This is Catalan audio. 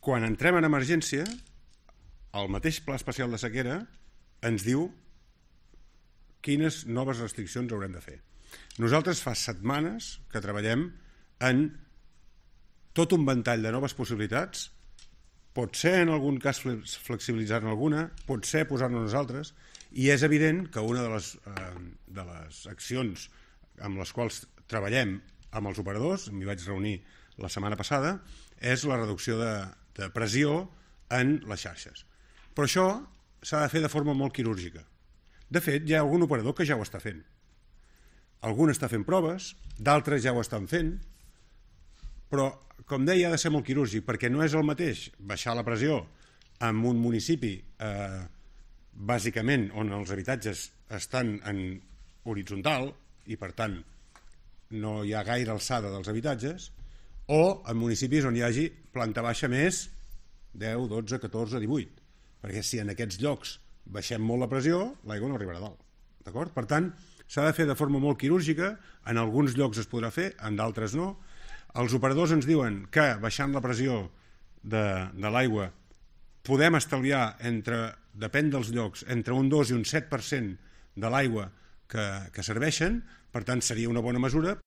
quan entrem en emergència, el mateix Pla Especial de Sequera ens diu quines noves restriccions haurem de fer. Nosaltres fa setmanes que treballem en tot un ventall de noves possibilitats, pot ser en algun cas flexibilitzar-ne alguna, pot ser posar-ne nosaltres, i és evident que una de les accions amb les quals treballem amb els operadors, m'hi vaig reunir la setmana passada, és la reducció de pressió en les xarxes. Però això s'ha de fer de forma molt quirúrgica. De fet, hi ha algun operador que ja ho està fent. Algun està fent proves, d'altres ja ho estan fent, però, com deia, ha de ser molt quirúrgic, perquè no és el mateix baixar la pressió en un municipi, bàsicament, on els habitatges estan en horitzontal i, per tant, no hi ha gaire alçada dels habitatges, o en municipis on hi hagi planta baixa més 10, 12, 14, 18. Perquè si en aquests llocs baixem molt la pressió, l'aigua no arribarà a dalt. D'acord? Per tant, s'ha de fer de forma molt quirúrgica, en alguns llocs es podrà fer, en d'altres no. Els operadors ens diuen que baixant la pressió de l'aigua podem estalviar, depèn dels llocs, entre un 2 i un 7% de l'aigua que serveixen, per tant seria una bona mesura.